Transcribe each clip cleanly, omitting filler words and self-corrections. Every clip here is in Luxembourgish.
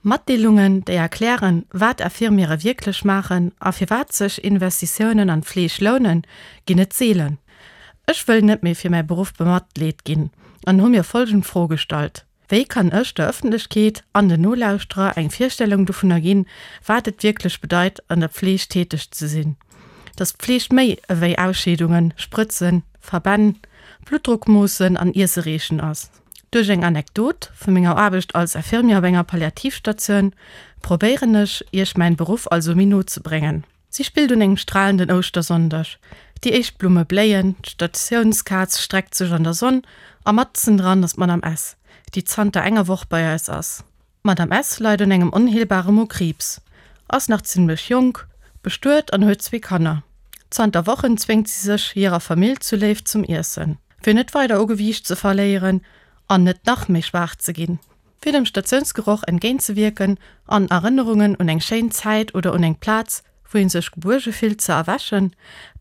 Matdeelungen, déi erklären, wat Infirmiere wierklech maachen a firwat sech Investitiounen an d'Fleeg lounen, ginn et seelen. Ech wëll net méi fir mäi Beruff bematleet ginn an hu mir folgend Fro gestallt, Wéi kann ech der Ëffentlechkeet an den Nolauschterer eng Virstellung dovunner ginn, wat et wierklech bedeit, an der Pfleeg täteg ze sinn? Dass Pfleeg méi ewéi Ausscheedungen, Sprëtzen, Verbänn, Bluttdrock moossen an Iesse reechen ass? Duerch eng Anekdot vu menger Aarbecht als Infirmier op enger Palliativstatioun probéieren ech, Iech mäin Beruff also méi no ze bréngen. Si spillt un engem stralenden Ouschtersonndeg. Déi éischt Blumme bléien, d'Statiounskaz streckt sech an der Sonn a matzen dran ass d'Madame S., déi zanter enger Woch bei eis ass. D'Madame S. leit un engem onheelbare Mokriibs, ass nach zimmlech jonk, bestuet an huet zwee Kanner. Zanter Wochen zwéngt si sech hirer Famill zuléif zum Iessen, fir net weider u Gewiicht ze verléieren an net nach méi schwaach ze ginn. Fir dem Statiounsgeroch entgéintzewierken an Erënnerungen un eng schéin Zäit oder un eng Plaz, wou ee sech gebuerge fillt, ze erwächen,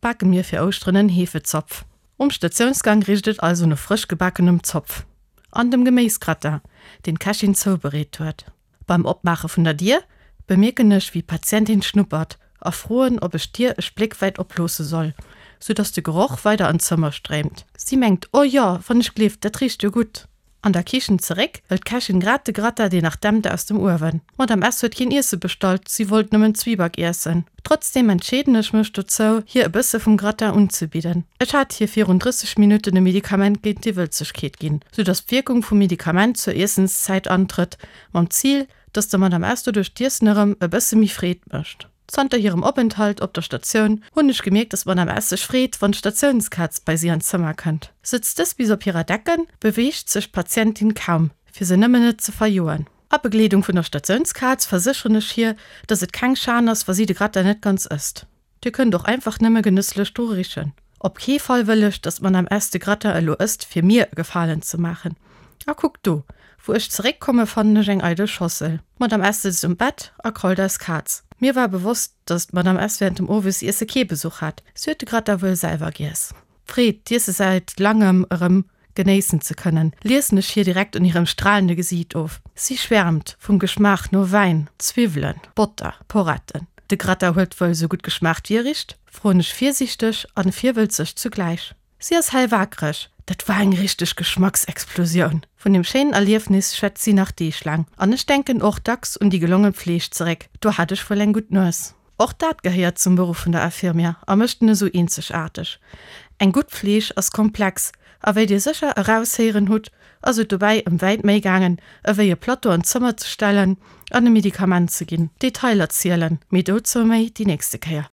bake mir fir Ouschteren en Hefezopf. Um Statiounsgang richt et also no frësch gebakenem Zopf an dem Geméisgratin, deen d'Kächin zoubereet huet. Beim Opmaache vun der Dier bemierken ech, wéi d'Patientin schnuppert a froen, ob ech d'Dier e Spléck wäit oploosse soll, sou dass de Geroch weider an d'Zëmmer stréimt. Si mengt, Oh jo, wann ech gleeft, dat richt jo gutt. An der Kichen zeréck, hëlt d'Kächin grad de Gratin, deen nach dämpt, aus dem Uewen. D'Madame S. huet keen Iesse bestallt, si wollt nëmmen Zwieback iessen. Trotzdeem entscheeden ech mech dozou, hir e bësse vum Gratin unzebidden. Ech hat hir virun 30 Minutten e Medikament géint d'Iwwelzegkeet ginn, sou dass d'Wierkung vum Medikament zur Iessenszäit antrëtt, mam Zil, dass der Madame S. doduerch d'Iessen erëm e bësse méi Freed mécht. Zanter hirem Openthalt op der Statioun hunn ech gemierkt, dass d'Madame S. sech freet, wann d'Statiounskaz bei si an d'Zëmmer kënnt. Sëtzt dës bis op hirer Decken, beweegt sech d'Patientin kaum, fir se nëmmen net ze verjoen. A Begleedung vun der Statiounskaz versécheren ech hir, dass et keng Schan ass, wa si de Gratin net ganz ësst. Dir kënnt och einfach nëmme genësslech dru richen. Op kee Fall wëll ech, dass d'Madame S. de Gratin elo ësst, fir mir e Gefalen ze maachen. A kuckt do, wou ech zeréckkomme fannen ech eng eidel Schossel. D'Madame S. sëtzt um Bett a krault eis Kaz. Mir war bewosst, dass d'Madame S. während dem Owesiesse kee Besuch hat. Si huet de Gratin wuel selwer giess. D'Freed, d'Iesse säit langem erëm genéissen ze kënnen, liesen ech hir direkt un hirem stralende Gesiit of. Si schwärmt vum Geschmaach no Wäin, Zwiwwelen, Botter, Poretten. De Gratin huet wuel sou gutt geschmaacht wéi e richt? froen ech virsiichteg an virwëlzeg zugläich. Si ass hellwaakreg, Dat war eng richteg Geschmacksexplosioun! Vun deem schéinen Erliefnis schwätzt si nach deeglaang. An ech denken och dacks un déi gelongen Pfleeg zeréck, do hat ech wuel eng gutt Nues. Och dat gehéiert zum Beruff vun der Infirmière a mécht en esou eenzegaarteg. Eng gutt Fleeg ass komplex a wéi Dir sécher eraushéieren hutt, ass et dobäi ëm wäit méi gaangen, ewéi e Plateau an d'Zëmmer ze stellen an e Medikament ze ginn. Detailer zielen, mee dozou méi déi nächste Kéier.